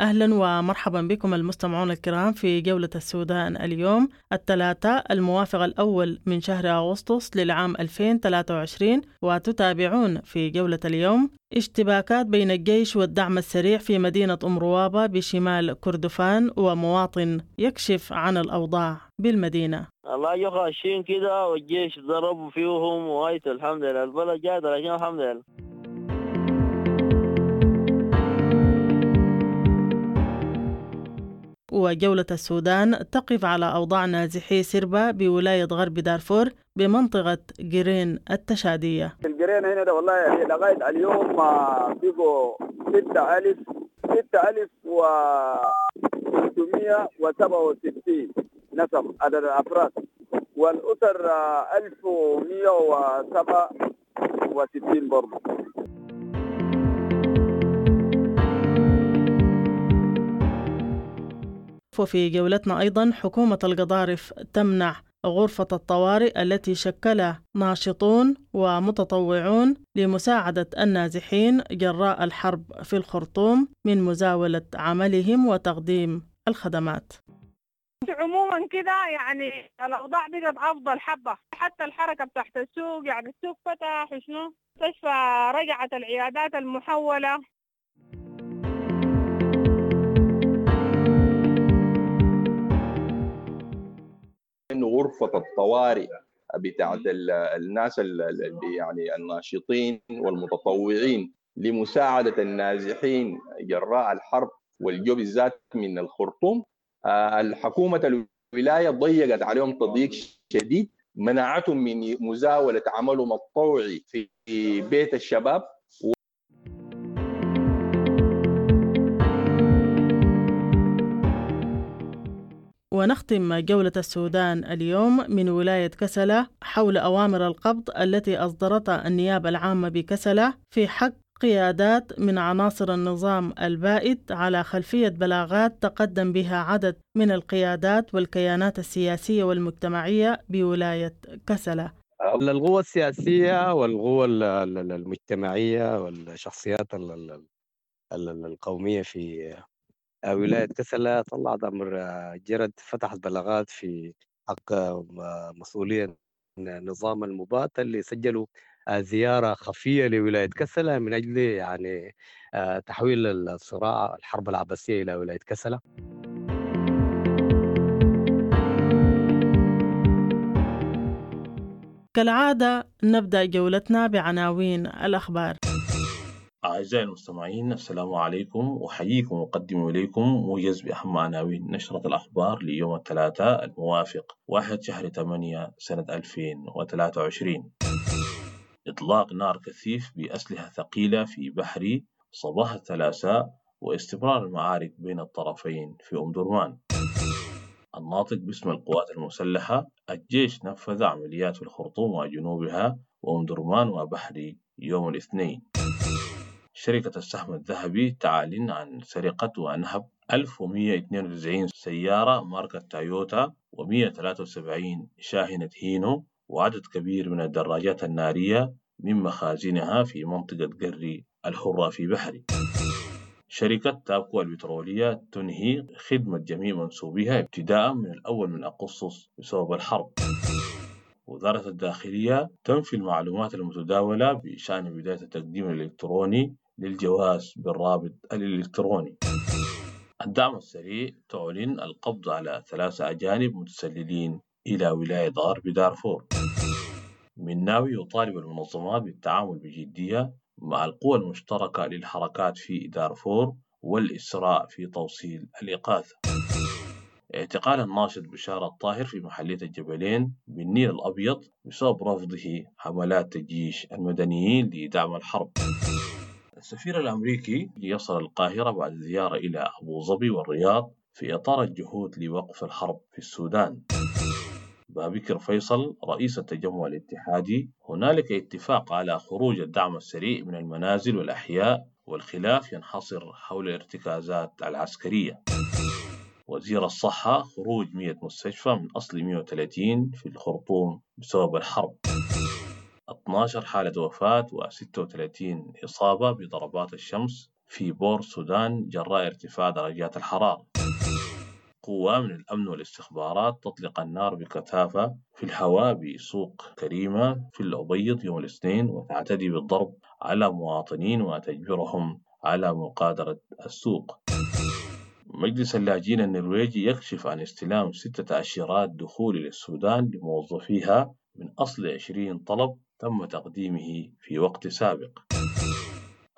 أهلا ومرحبا بكم المستمعون الكرام في جولة السودان اليوم الثلاثاء الموافق الأول من شهر أغسطس للعام 2023، وتتابعون في جولة اليوم اشتباكات بين الجيش والدعم السريع في مدينة أم روابة بشمال كردفان، ومواطن يكشف عن الأوضاع بالمدينة. الله يخشين كده والجيش ضربوا فيهم وهايت، الحمد لله البلد جات، لكن الحمد لله. وجولة السودان تقف على أوضاع نازحي سربة بولاية غرب دارفور بمنطقة جرين التشادية. الجرين هنا ده والله لغاية اليوم بقوا 6367 نسم عدد الأفراد، والأسر 1167 برضه. وفي جولتنا أيضا حكومة القضارف تمنع غرفة الطوارئ التي شكلها ناشطون ومتطوعون لمساعدة النازحين جراء الحرب في الخرطوم من مزاولة عملهم وتقديم الخدمات. عموما كده يعني الأوضاع بقت أفضل حبة، حتى الحركة بتاعت السوق، يعني السوق فتح وشنو، مستشفى رجعت العيادات المحولة. إنه غرفة الطوارئ بتاعت الناس اللي يعني الناشطين والمتطوعين لمساعدة النازحين جراء الحرب والجو بالذات من الخرطوم، الحكومة الولاية ضيقت عليهم تضييق شديد، منعتهم من مزاولة عملهم الطوعي في بيت الشباب. ونختم جولة السودان اليوم من ولاية كسلة حول أوامر القبض التي أصدرتها النيابة العامة بكسلة في حق قيادات من عناصر النظام البائد على خلفية بلاغات تقدم بها عدد من القيادات والكيانات السياسية والمجتمعية بولاية كسلة. القوى السياسية والقوى المجتمعية والشخصيات القومية في ولاية كسلة طلعت أمر جرد، فتحت بلاغات في حق مسؤولية نظام المبات اللي سجلوا زيارة خفية لولاية كسلة من أجل يعني تحويل الصراع الحرب العباسية إلى ولاية كسلة. كالعادة نبدأ جولتنا بعناوين الأخبار. أعزائي المستمعين، السلام عليكم، أحييكم وأقدم إليكم موجز بأهم عناوين نشرة الأخبار ليوم الثلاثاء الموافق 1/8 سنة 2023. إطلاق نار كثيف بأسلحة ثقيلة في بحري صباح الثلاثاء واستمرار المعارك بين الطرفين في أم درمان. الناطق باسم القوات المسلحة: الجيش نفذ عمليات في الخرطوم وجنوبها وأم درمان وبحري يوم الاثنين. شركة السهم الذهبي تعلن عن سرقة ونهب 1192 سيارة ماركة تويوتا و173 شاحنة هينو وعدد كبير من الدراجات النارية من مخازنها في منطقة قري الحرة في بحري. شركة تابكو البترولية تنهي خدمة جميع منسوبيها ابتداء من 1 أغسطس بسبب الحرب. وزارة الداخلية تنفي المعلومات المتداولة بشأن بداية التقديم الإلكتروني للجواز بالرابط الإلكتروني. الدعم السريع تعلن القبض على 3 أجانب متسللين إلى ولاية غرب دارفور. مناوي يطالب المنظمات بالتعامل بجدية مع القوى المشتركة للحركات في دارفور والإسراع في توصيل الإغاثة. اعتقال الناشط بشارة الطاهر في محلية الجبلين بالنيل الأبيض بسبب رفضه حملات تجيش المدنيين لدعم الحرب. السفير الأمريكي يصل القاهرة بعد زيارة إلى أبو ظبي والرياض في إطار الجهود لوقف الحرب في السودان. بابكر فيصل رئيس التجمع الاتحادي: هنالك اتفاق على خروج الدعم السريع من المنازل والأحياء، والخلاف ينحصر حول الارتكازات العسكرية. وزير الصحة: خروج 100 مستشفى من أصل 130 في الخرطوم بسبب الحرب. 12 حالة وفاة و36 إصابة بضربات الشمس في بور السودان جراء ارتفاع درجات الحرارة. قوة من الأمن والاستخبارات تطلق النار بكثافة في الهواء بسوق كريمة في الأبيض يوم الاثنين، وتعتدي بالضرب على مواطنين وتجبرهم على مغادرة السوق. مجلس اللاجئين النرويجي يكشف عن استلام 6 تأشيرات دخول للسودان لموظفيها من أصل 20 طلب تم تقديمه في وقت سابق.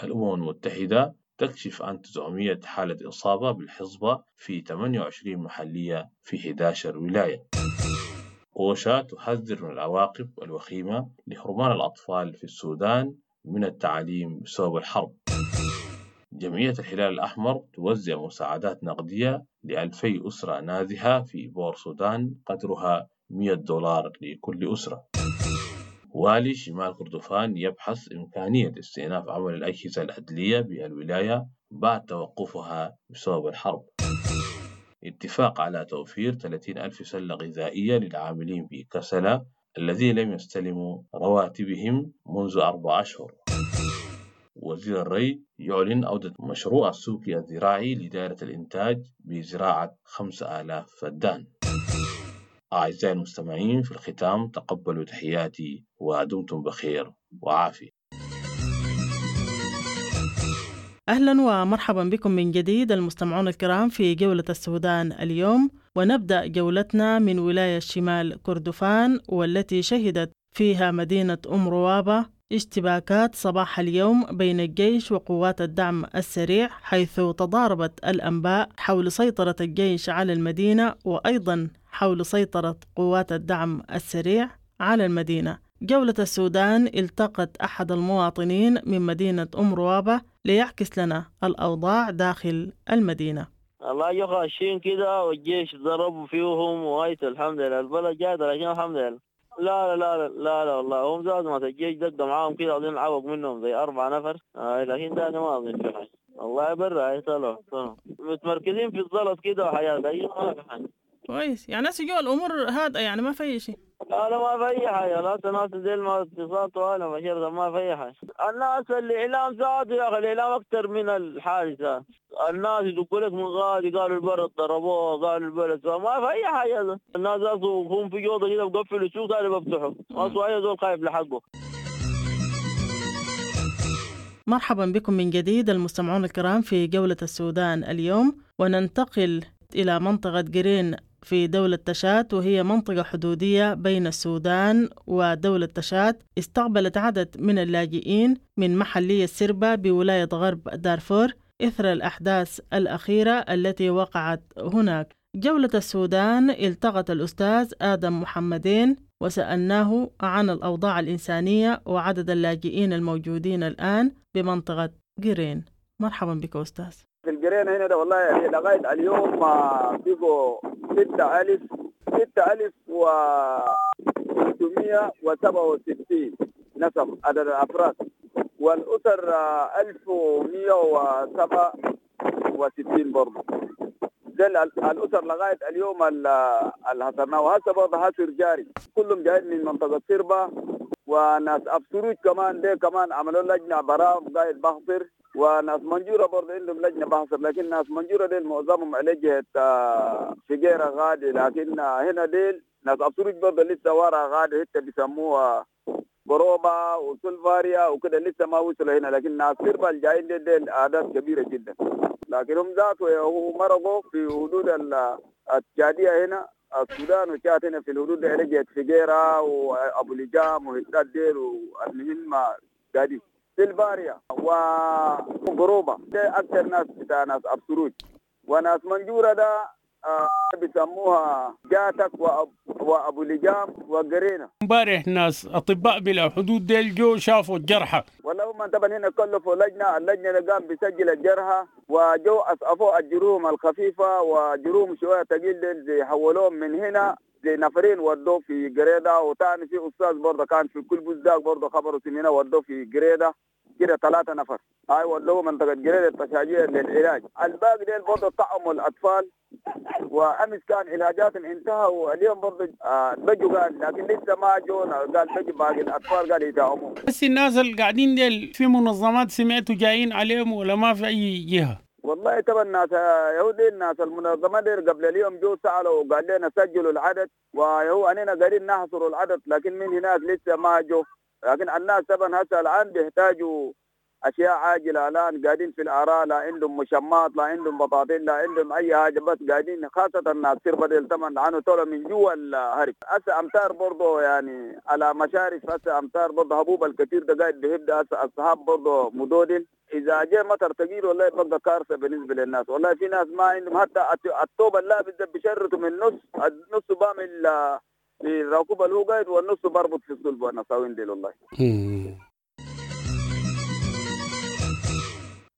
الأمم المتحدة تكشف عن 900 حالة إصابة بالحصبة في 28 محلية في 11 ولاية. أوشا تحذر من العواقب الوخيمة لحرمان الأطفال في السودان من التعليم بسبب الحرب. جمعية الهلال الأحمر توزع مساعدات نقدية ل2000 أسرة نازحة في بور السودان قدرها $100 لكل أسرة. والي شمال كردفان يبحث إمكانية استئناف عمل الأجهزة العدلية بالولاية بعد توقفها بسبب الحرب. اتفاق على توفير 30,000 سلة غذائية للعاملين بكسلة الذين لم يستلموا رواتبهم منذ 4 أشهر. وزير الري يعلن عودة مشروع السوق الزراعي لدائرة الإنتاج بزراعة 5000 فدان. أعزائي المستمعين، في الختام تقبلوا تحياتي ودمتم بخير وعافية. أهلا ومرحبا بكم من جديد المستمعون الكرام في جولة السودان اليوم، ونبدأ جولتنا من ولاية شمال كردفان والتي شهدت فيها مدينة أم روابة اشتباكات صباح اليوم بين الجيش وقوات الدعم السريع، حيث تضاربت الأنباء حول سيطرة الجيش على المدينة وأيضا حول سيطرة قوات الدعم السريع على المدينة. جولة السودان التقت أحد المواطنين من مدينة أم روابة ليعكس لنا الأوضاع داخل المدينة. الله يخشين كده والجيش ضربوا فيهم وهايت الحمد لله البلد جات، لكن الحمد لله لا لا لا لا لا والله هم زادوا ما الجيش دق معاهم كده أظن عوق منهم زي 4 نفر، لكن ده ما أظن في حاجة والله برا طلعوا متمركزين في الزلط كده وحياة، لكن ما في حاجة. كويس، يعني ناس جوا الأمور هادئة، يعني ما في أي شيء. لا لا ما في أي حاجة، لا الناس ديل ما اتصالات ولا مشيرة، ما في أي حاجة. الناس الإعلام زاد يا أخي، الإعلام أكثر من الحادثة. الناس يدقوا لك من غادي قالوا البلد ضربوه، قالوا البلد ما في أي حاجة. الناس هم في جوضة كده بقفلوا السوق ثاني بفتحوا، ما أي زول خايف لحقه. مرحبا بكم من جديد المستمعون الكرام في جولة السودان اليوم، وننتقل إلى منطقة جرين في دولة تشاد، وهي منطقة حدودية بين السودان ودولة تشاد. استقبلت عدد من اللاجئين من محلية سربة بولاية غرب دارفور إثر الأحداث الأخيرة التي وقعت هناك. جولة السودان التقت الأستاذ آدم محمدين وسألناه عن الأوضاع الإنسانية وعدد اللاجئين الموجودين الآن بمنطقة جرين. مرحبا بك أستاذ. في الجرين هنا ده والله لغاية اليوم بيجوا 6367 نسم عدد الأفراد، والأسر 1167 برضه. ده الأسر لغاية اليوم اللي حصرناه، وهسه برضه حصر جاري، كلهم جايين من منطقة سربة وناس أبسروج كمان، ده كمان عملوا لجنة برام قاعد بحصر، وناس منجورة برضه عندهم لجنة بحصر، لكن ناس منجورة ديل معظمهم على جهة فجيرة غادي، لكن هنا ديل ناس أبسروج برضه لسه ورا غادي، حتى بيسموها بروبا وسلفاريا وكده لسه ما وصلوا هنا، لكن ناس سربة الجايين ديل أعداد كبيرة جدا، لكن هم ذاته هو مرقوا في حدود التشادية هنا السودان وشات هنا في الحدود على جهة فجيرة وأبو لجام وهتات ديل، والمهم قاعدين سلفاريا وغروبة ده أكثر ناس بتاع ناس أبسروج، وناس منجورة ده بيسموها جاتك وأبو لجام وقرينة. امبارح ناس أطباء بلا حدود ديل جو شافوا الجرحى، والله هم طبعا هنا كلفوا لجنة، اللجنة اللي قام بيسجل الجرحى وجو أسقفوا الجروم الخفيفة وجروم شوية تقيل ديل زي حولوهم من هنا زي نفرين ودوه في قريدة، وتاني في أستاذ برضه كان في كل بزداق برضه خبره سنينة ودوه في قريدة كده 3 نفر. اي ودوه منطقة جرير التشاجيه للعلاج. الباقي ديل برضه طعموا الاطفال، وامس كان علاجاتهم انتهى، واليوم برضه بجوا قال، لكن لسه ما جونا، قال بجوا باقي الاطفال قال يدعموا. بس الناس اللي قاعدين ديل في منظمات سمعتوا جايين عليهم ولا ما في اي جهة؟ والله طبعا الناس يهودي الناس المنظمات ديل قبل اليوم جو سالوا وقال لنا سجلوا العدد، وهو اننا قاعدين نحصر العدد، لكن من هناك لسه ما جو. لكن الناس طبعا هسه الان بيحتاجوا اشياء عاجله، الان قاعدين في الاراء، لا عندهم مشمات، لا عندهم بطاطين، لا عندهم اي حاجة، بس قاعدين خاصة الناس سيربا ديل طبعا لانه طلعوا من جوا الهرب. هسه امطار برضه يعني على مشارف، هسه امطار برضه هبوب الكثير ده قاعد بيبدا، هسه السحاب برضه مدودل، اذا جاء مطر ثقيل والله بقى كارثة بالنسبة للناس. والله في ناس ما عندهم حتى الطوب اللابس ده بيشرطوا من النص، النص بعمل في الراكوبه اللي هو قاعد، والنص بربط في الصلب والنساوين ديل والله.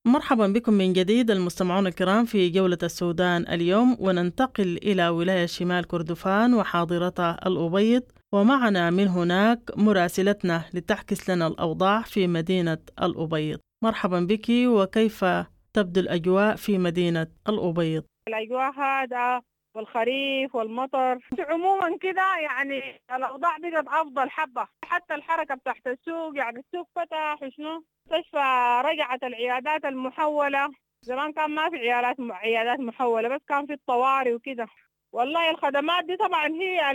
مرحبا بكم من جديد المستمعون الكرام في جولة السودان اليوم، وننتقل إلى ولاية شمال كردفان وحاضرتها الأبيض، ومعنا من هناك مراسلتنا لتعكس لنا الأوضاع في مدينة الأبيض. مرحبا بك، وكيف تبدو الأجواء في مدينة الأبيض؟ الأجواء هادئة والخريف والمطر عموما كده، يعني الأوضاع بقت أفضل حبة، حتى الحركة بتاعت السوق، يعني السوق فتح وشنو، مستشفى رجعت العيادات المحولة. زمان كان ما في عيادات محولة، بس كان في الطوارئ وكده. والله الخدمات دي طبعا هي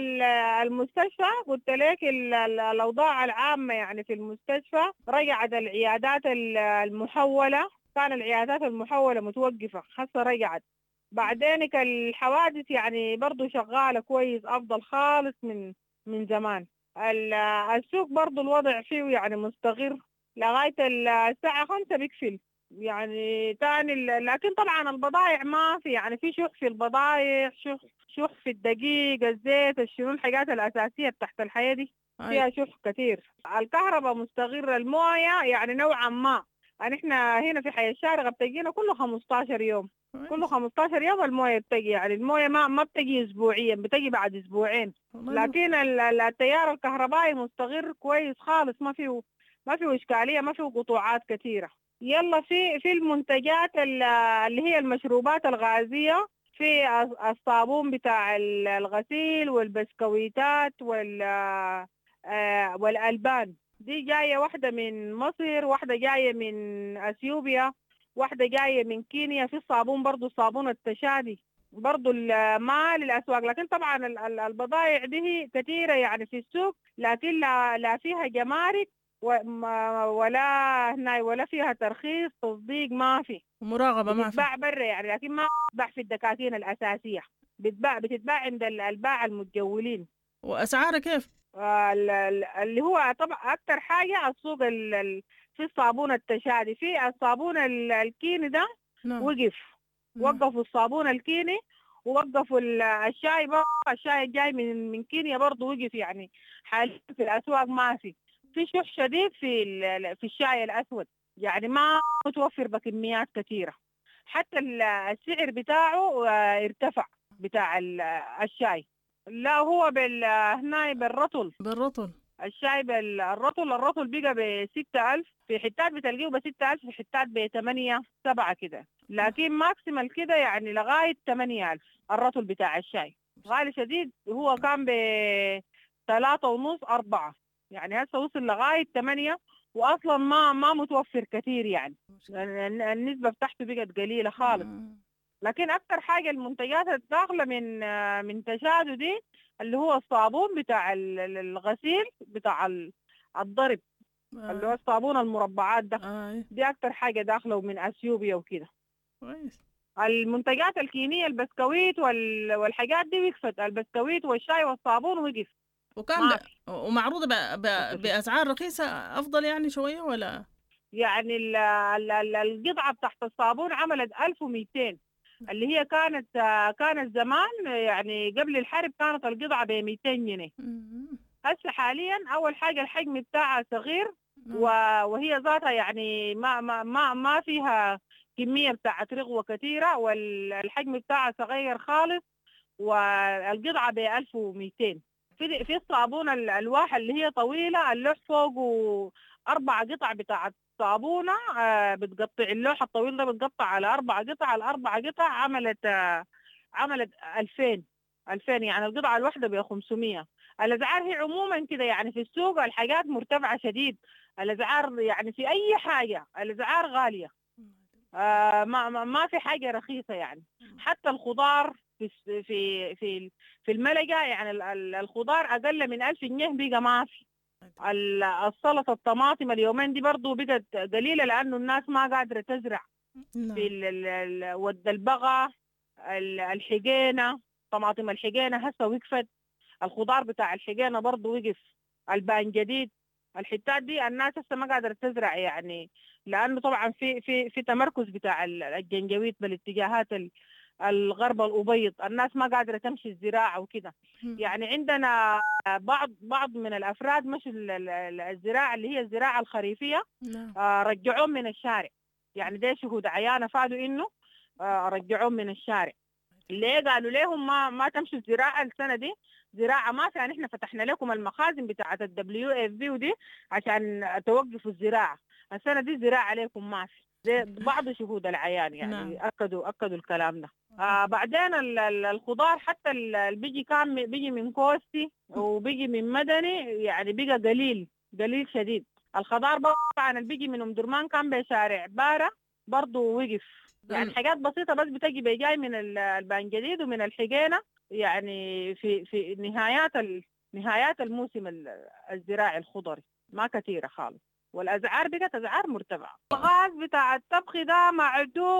المستشفى، قلت لك الأوضاع العامة يعني في المستشفى رجعت العيادات المحولة، كان العيادات المحولة متوقفة، هسه رجعت. بعدين الحوادث يعني برضو شغالة كويس، أفضل خالص من زمان. السوق برضو الوضع فيه يعني مستقر لغاية الساعة 5 بيقفل يعني تاني. لكن طبعا البضائع ما في، يعني في شح في البضائع، شح في الدقيق، الزيت، الشنو، الحاجات الأساسية بتاعت الحياة دي فيها شح كثير. الكهرباء مستقرة، الموية يعني نوعا ما، يعني احنا هنا في حي الشارقة بتجينا كل 15 يوم، كل 15 يوم الموية بتجي، يعني الموية ما بتجي اسبوعيا، بتجي بعد اسبوعين. لكن التيار الكهربائي مستقر كويس خالص، ما فيه اشكالية، ما فيه قطوعات كثيرة. يلا في المنتجات اللي هي المشروبات الغازية، في الصابون بتاع الغسيل والبسكويتات والألبان، دي جاية واحدة من مصر، واحدة جاية من أثيوبيا، واحدة جاية من كينيا. في الصابون برضو، الصابون التشادي برضو ما للأسواق. لكن طبعا البضائع دي كثيرة يعني في السوق، لكن لا فيها جمارك ولا هنا ولا فيها ترخيص تصديق، ما في مراقبة، ما في، بتتباع برا يعني، لكن ما بتتباع في الدكاكين الأساسية، بتتباع عند الباع المتجولين. وأسعارها كيف؟ اللي هو طبعا أكثر حاجة السوق في الصابون التشادي، في الصابون الكيني ده. نعم. وقف. نعم. وقفوا الصابون الكيني، ووقفوا الشاي برضه، الشاي الجاي من كينيا برضه وقف، يعني حاليا في الأسواق ما في شح شديد في الشاي الأسود، يعني ما متوفر بكميات كثيرة، حتى السعر بتاعه ارتفع بتاع الشاي. لا هو هنا بالرطل، بالرطل الشاي بالرطل، الرطل بقى ب6,000 في حتات، بتلقيه ب6,000 في حتات ب8 7 كده، لكن maximal كده يعني لغاية 8,000 الرطل بتاع الشاي. غالي شديد، هو كان ب3.5 4، يعني هسه وصل لغاية 8، وأصلا ما متوفر كثير، يعني النسبة بتاعته بقت قليلة خالص. لكن أكثر حاجة المنتجات الداخلة من تشادو دي اللي هو الصابون بتاع الغسيل بتاع الضرب، اللي هو الصابون المربعات ده. دي أكثر حاجة داخلة، ومن أثيوبيا وكده. كويس. المنتجات الكينية البسكويت والحاجات دي وقفت، البسكويت والشاي والصابون وقف. وكان ومعروضة بأسعار رخيصة أفضل يعني شوية ولا؟ يعني القطعة بتاعت الصابون عملت 1200، اللي هي كانت زمان يعني قبل الحرب كانت القطعة ب 200 جنيه. هسه حاليا أول حاجة الحجم بتاعها صغير، وهي ذاتها يعني ما ما ما ما فيها كمية بتاعت رغوة كثيرة، والحجم بتاعها صغير خالص، والقطعة ب 1200. في الصابونة الألواح اللي هي طويلة، اللوح فوقه 4 قطع بتاعت صابونة، بتقطع اللوح الطويل ده بتقطع على 4 قطع، ال4 قطع عملت 2000، يعني القطعة الواحدة ب500. الأسعار هي عموما كده يعني في السوق الحاجات مرتفعة شديد، الأسعار يعني في أي حاجة الأسعار غالية، ما في حاجة رخيصة يعني. حتى الخضار في في في في الملجأ يعني الخضار أقل من 1000 جنيه بقى ما في. السلطة الطماطم اليومين دي برضو بقت قليلة لأنه الناس ما قادرة تزرع. في ود البغا، الحقينة، طماطم الحقينة هسه وقفت، الخضار بتاع الحقينة برضو وقف، البان جديد، الحتات دي الناس هسه ما قادرة تزرع يعني، لأنه طبعا في في في تمركز بتاع الجنجويت بالاتجاهات الغرب الأبيض، الناس ما قادرة تمشي الزراعة وكده. يعني عندنا بعض من الأفراد مشوا الزراعة اللي هي الزراعة الخريفية، رجعوهم من الشارع، يعني ده شهود عيانة فادوا إنه رجعوهم من الشارع. ليه؟ قالوا لهم ما تمشوا الزراعة السنة دي، زراعة ما في، يعني احنا فتحنا لكم المخازن بتاعة ال WFP ودي عشان توقفوا الزراعة، السنة دي زراعة عليكم ما في. بعض شهود العيان يعني أكدوا الكلام ده. بعدين الخضار حتى اللي بيجي كان بيجي من كوستي وبيجي من مدني يعني بقى قليل شديد. الخضار طبعا اللي بيجي من أم درمان كان بشارع بارة برضو وقف، يعني حاجات بسيطة بس بتجي بجاي من البان جديد ومن الحقينة، يعني في نهايات الموسم الزراعي الخضري ما كثيرة خالص، والأسعار بقت أسعار مرتفعة. الغاز بتاع الطبخ ده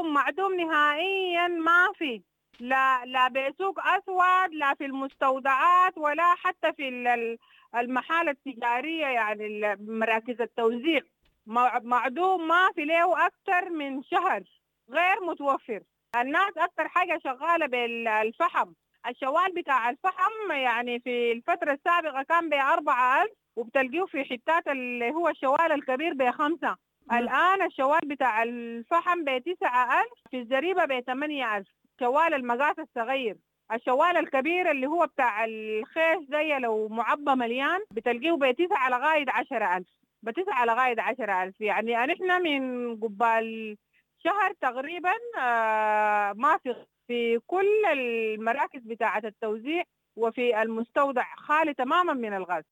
معدوم نهائيا، ما في، لا بسوق أسود، لا في المستودعات، ولا حتى في المحال التجارية، يعني مراكز التوزيع معدوم، ما في له أكثر من شهر غير متوفر. الناس أكثر حاجة شغالة بالفحم، الشوال بتاع الفحم يعني في الفترة السابقة كان ب4000 وبتلقيه في حتات اللي هو الشوال الكبير ب5، الآن الشوال بتاع الفحم ب9000، في الزريبة ب8000، شوال المقاس الصغير. الشوال الكبير اللي هو بتاع الخيش زي لو معبى مليان بتلقيه ب9 لغاية 10000، ب9 لغاية 10000. يعني نحن من قبال شهر تقريبا ما في كل المراكز بتاعة التوزيع وفي المستودع خالي تماما من الغاز.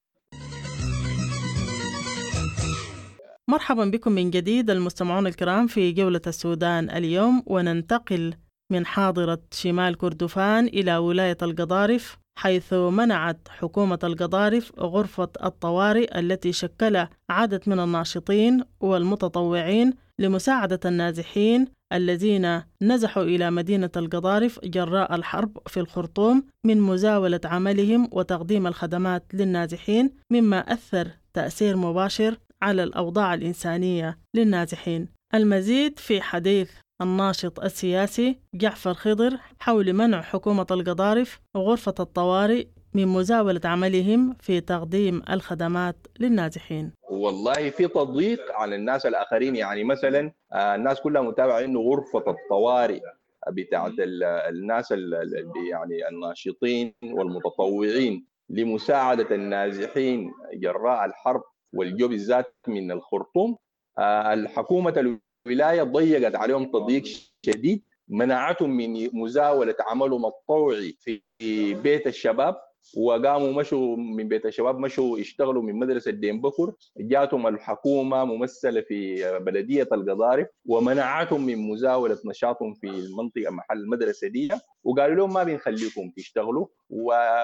مرحبا بكم من جديد المستمعون الكرام في جولة السودان اليوم، وننتقل من حاضرة شمال كردفان إلى ولاية القضارف، حيث منعت حكومة القضارف غرفة الطوارئ التي شكلها عدد من الناشطين والمتطوعين لمساعدة النازحين الذين نزحوا إلى مدينة القضارف جراء الحرب في الخرطوم من مزاولة عملهم وتقديم الخدمات للنازحين، مما أثر تأثير مباشر على الأوضاع الإنسانية للنازحين. المزيد في حديث الناشط السياسي جعفر خضر حول منع حكومة القضارف غرفة الطوارئ من مزاولة عملهم في تقديم الخدمات للنازحين. والله في تضييق على الناس الآخرين، يعني مثلا الناس كلها متابعة إنه غرفة الطوارئ بتاعت الناس يعني الناشطين والمتطوعين لمساعدة النازحين جراء الحرب والجو بالذات من الخرطوم، الحكومة الولاية ضيقت عليهم تضييق شديد، منعتهم من مزاولة عملهم الطوعي في بيت الشباب، وقاموا مشوا من بيت الشباب مشوا اشتغلوا من مدرسة دين بكر. جاتهم الحكومة ممثلة في بلدية القضارف ومنعتهم من مزاولة نشاطهم في المنطقة محل المدرسة دي، وقالوا لهم ما بنخليكم تشتغلوا.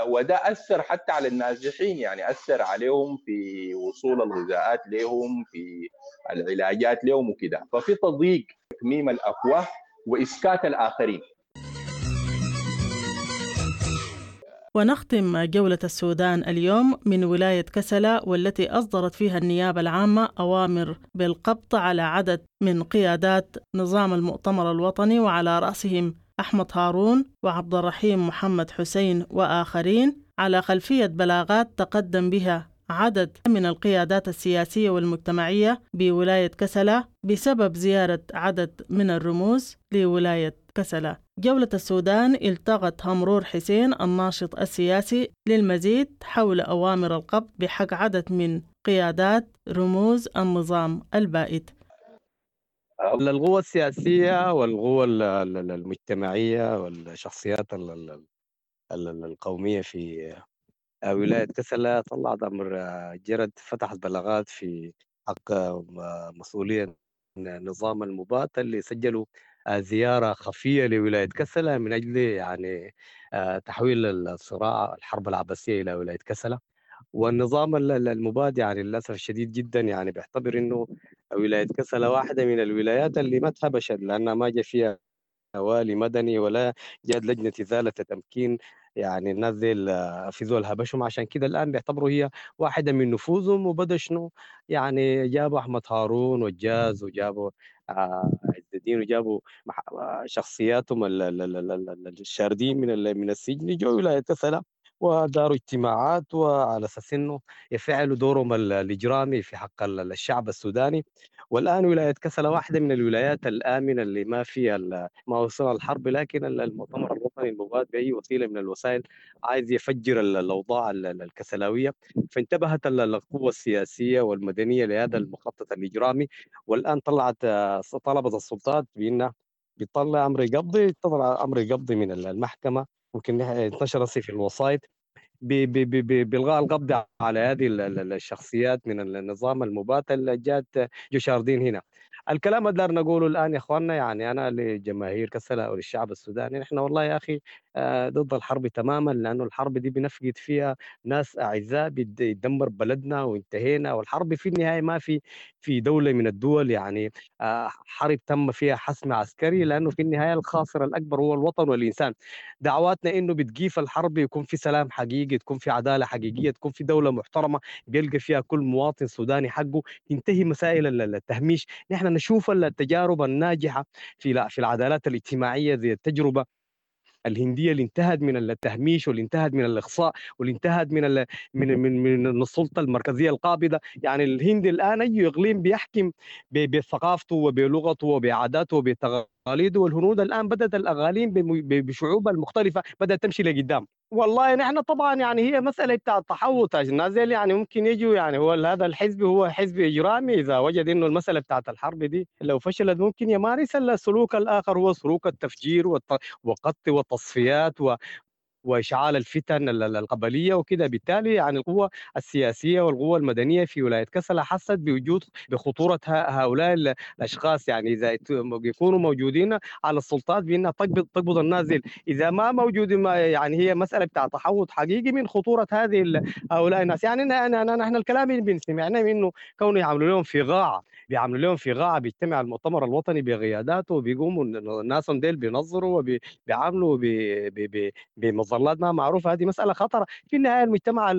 وده أثر حتى على النازحين، يعني أثر عليهم في وصول الغذاءات لهم، في العلاجات لهم وكده. ففي تضييق، تكميم الأفواه وإسكات الآخرين. ونختم جولة السودان اليوم من ولاية كسلا، والتي أصدرت فيها النيابة العامة أوامر بالقبض على عدد من قيادات نظام المؤتمر الوطني، وعلى رأسهم أحمد هارون وعبد الرحيم محمد حسين وآخرين، على خلفية بلاغات تقدم بها عدد من القيادات السياسية والمجتمعية بولاية كسلا بسبب زيارة عدد من الرموز لولاية كسلا. جولة السودان التقت همرور حسين الناشط السياسي للمزيد حول أوامر القبض بحق عدد من قيادات رموز النظام البائد. القوى السياسية والقوى المجتمعية والشخصيات القومية في ولاية كسلا طلعت أمر جرد، فتحت بلاغات في حق مسؤولية نظام المبات اللي سجلوا زيارة خفية لولاية كسلا من أجل يعني تحويل الصراع الحرب العباسية إلى ولاية كسلا. والنظام المباد يعني للأسف الشديد جدا يعني بيعتبر إنه ولاية كسلا واحدة من الولايات اللي ما تهبشت، لأنها ما جاء فيها والي مدني ولا جاءت لجنة إزالة تمكين، يعني الناس دي في زول هبشهم، عشان كده الآن بيعتبروا هي واحدة من نفوذهم. وبدأ شنو يعني جابوا أحمد هارون والجاز وجابوا عز الدين وجابوا شخصياتهم الشاردين من السجن، جو ولاية كسلا وداروا اجتماعات وعلى أساس إنه يفعلوا دورهم الإجرامي في حق الشعب السوداني. والآن ولاية كسلا واحدة من الولايات الآمنة اللي ما فيها ما وصل الحرب، لكن المؤتمر الوطني المباد بأي وسيلة من الوسائل عايز يفجر الأوضاع الكسلاوية. فانتبهت القوة السياسية والمدنية لهذا المخطط الإجرامي، والآن طلبت السلطات بأنها بتطلع أمر قبضي، تطلع أمر قبضي من المحكمة، ممكن انتشر في الوسائط بإلغاء القبض على هذه الشخصيات من النظام المبات اللي جات جو شاردين هنا. الكلام اللي نقوله الآن يا إخواننا، يعني أنا لجماهير كسلا أو للشعب السوداني، نحن والله يا أخي ضد الحرب تماما، لأنه الحرب دي بنفقد فيها ناس أعزاء، بيدمر بلدنا وانتهينا. والحرب في النهاية ما في دولة من الدول يعني حرب تم فيها حسم عسكري، لأنه في النهاية الخاسر الأكبر هو الوطن والإنسان. دعواتنا إنه بتقيف الحرب، يكون في سلام حقيقي، تكون في عدالة حقيقية، تكون في دولة محترمة بيلقى فيها كل مواطن سوداني حقه، تنتهي مسائل التهميش. نحن نشوف التجارب الناجحة في العدالات الاجتماعية زي التجربة الهندية اللي انتهت من التهميش واللي انتهت من الإقصاء واللي انتهت من من من من السلطة المركزية القابضة. يعني الهند الآن أي إقليم بيحكم بثقافته وبلغته وبعاداته وبتقاليده، والهنود الآن بدأت الأغاليم بشعوبها المختلفة بدأت تمشي لقدام. والله نحن طبعا يعني هي مسألة بتاع التحوط، الناس يعني ممكن يجوا، يعني هو هذا الحزب هو حزب إجرامي، إذا وجد إنه المسألة بتاعت الحرب دي لو فشلت ممكن يمارس السلوك الآخر، هو سلوك التفجير والقتل والتصفيات وإشعال الفتن القبلية وكده. بالتالي يعني القوة السياسية والقوة المدنية في ولاية كسلا حست بوجود بخطورة هؤلاء الأشخاص، يعني إذا يكونوا موجودين على السلطات بأنها تقبض النازل، إذا ما موجودين يعني هي مسألة بتاع تحوط حقيقي من خطورة هذه هؤلاء الناس. يعني نحن الكلام اللي بنسمعنا إنه كونه يعملوا لهم في غاعة، بيعملوا لهم في غاعة، بيجتمع المؤتمر الوطني بقياداته وبيقوموا الناس ديل بينظروا وبيعاملوا بمظلات ما معروفة. هذه مسألة خطرة. في النهاية المجتمع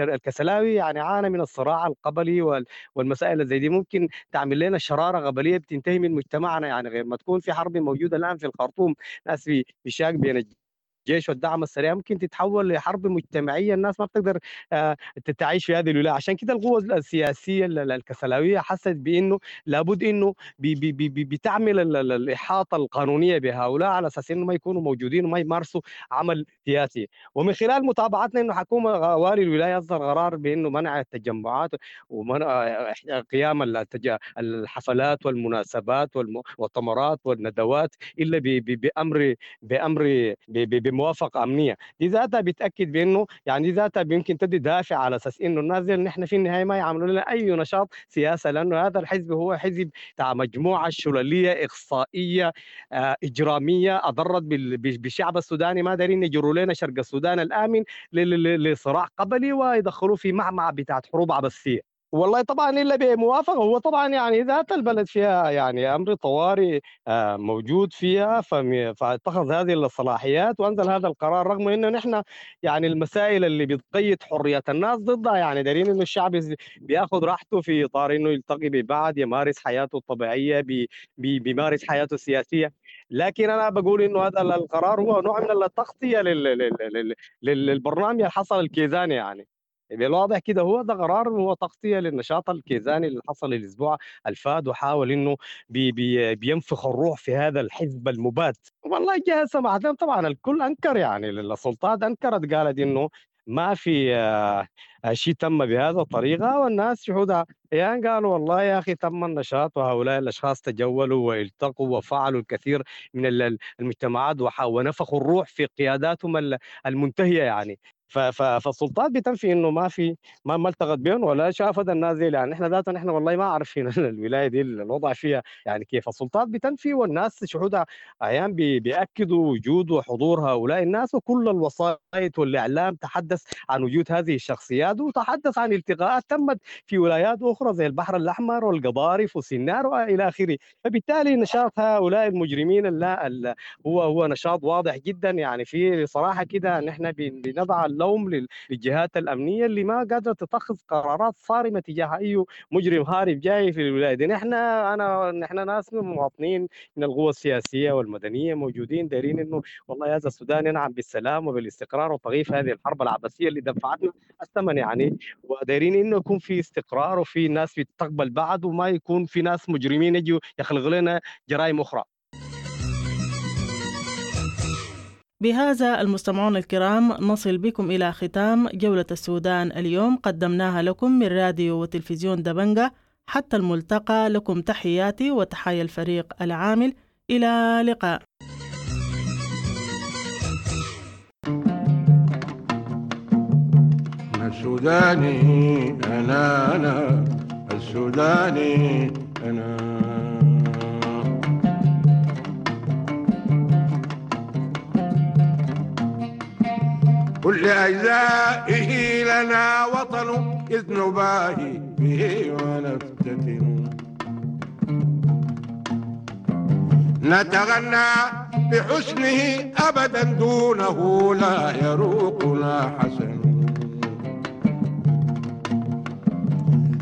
الكسلاوي يعني عانى من الصراع القبلي والمسائل زي دي، ممكن تعمل لنا شرارة قبلية بتنتهي من مجتمعنا، يعني غير ما تكون في حرب موجودة الآن في الخرطوم، ناس بيشاك بين الجيش والدعم السريع، ممكن تتحول لحرب مجتمعية، الناس ما بتقدر تعيش في هذه الولاية. عشان كده القوة السياسية الكسلاوية حست بأنه لابد أنه بتعمل الإحاطة القانونية بهؤلاء على أساس أنه ما يكونوا موجودين وما يمارسوا عمل سياسي. ومن خلال متابعتنا أنه حكومة والي الولاية أصدر قرار بأنه منع التجمعات ومنع قيام الحفلات والمناسبات والمؤتمرات والندوات إلا بأمر بموافقة أمنية. دي ذاتها بتأكد بأنه يعني دي ذاتها يمكن تدي دافع على أساس إنه الناس دي نحن في النهاية ما يعملوا لنا أي نشاط سياسة، لأنه هذا الحزب هو حزب تاع مجموعة شلالية إقصائية إجرامية أضرت بالشعب السوداني، ما دارين يجروا لنا شرق السودان الآمن لصراع قبلي ويدخلوه في معمعة بتاعت حروب عبثية. والله طبعا الا بموافقه، هو طبعا يعني ذات البلد فيها يعني امر طوارئ موجود فيها، فاتخذ هذه الصلاحيات وانزل هذا القرار، رغم انه نحن يعني المسائل اللي بتقيد حريه الناس ضدها، يعني دارين انه الشعب بياخذ راحته في اطار انه يلتقي ببعض، يمارس حياته الطبيعيه، بيمارس حياته السياسيه. لكن انا بقول انه هذا القرار هو نوع من التغطيه للبرنامج اللي حصل الكيزاني يعني. بالواضح كده هو ده قرار هو تغطيه للنشاط الكيزاني اللي حصل الاسبوع الفات، وحاول انه بي بي بينفخ الروح في هذا الحزب المباد. والله الجهة سمحت لهم، طبعا الكل انكر، يعني السلطات انكرت، قالت انه ما في شيء تم بهذا الطريقة، والناس شهودها يعني قالوا والله يا اخي تم النشاط، وهؤلاء الاشخاص تجولوا والتقوا وفعلوا الكثير من المجتمعات ونفخوا الروح في قياداتهم المنتهية يعني. فالسلطات بتنفي انه ما في ما التقت بهم ولا شافت الناس دي، يعني احنا ذاتنا نحن والله ما عارفين الولاية دي الوضع فيها يعني كيف. السلطات بتنفي، والناس شهودها ايام بياكدوا وجود وحضور هؤلاء الناس، وكل الوسائط والاعلام تحدث عن وجود هذه الشخصيات، وتحدث عن التقاءات تمت في ولايات اخرى زي البحر الاحمر والقضارف وسنار والى اخره. فبالتالي نشاط هؤلاء المجرمين لا هو نشاط واضح جدا، يعني في صراحة كده نحن بنضع اللوم للجهات الامنية اللي ما قادرة تتخذ قرارات صارمة تجاه اي مجرم هارب جاي في الولاية دي. نحن ناس مواطنين من القوى السياسية والمدنية موجودين دايرين انه والله هذا السودان ينعم بالسلام وبالاستقرار وتغيير هذه الحرب العبثيه اللي دفعتنا الثمن يعني، ودايرين انه يكون في استقرار وفي ناس بتقبل بعض، وما يكون في ناس مجرمين يجوا يخلقوا لنا جرائم اخرى. بهذا المستمعون الكرام نصل بكم إلى ختام جولة السودان اليوم، قدمناها لكم من راديو وتلفزيون دبنجة. حتى الملتقى، لكم تحياتي وتحايا الفريق العامل، إلى لقاء. السوداني أنا، أنا السوداني أنا. كل أجزائه لنا وطن إذ نباهي به ونفتتن، نتغنى بحسنه أبدا دونه لا يروقنا حسن،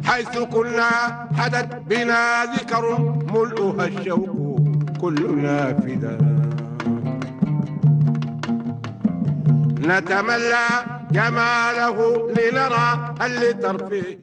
حيث كنا حدت بنا ذكر ملؤها الشوق كلنا فدا، نتملى جماله لنرى هل لترفيه.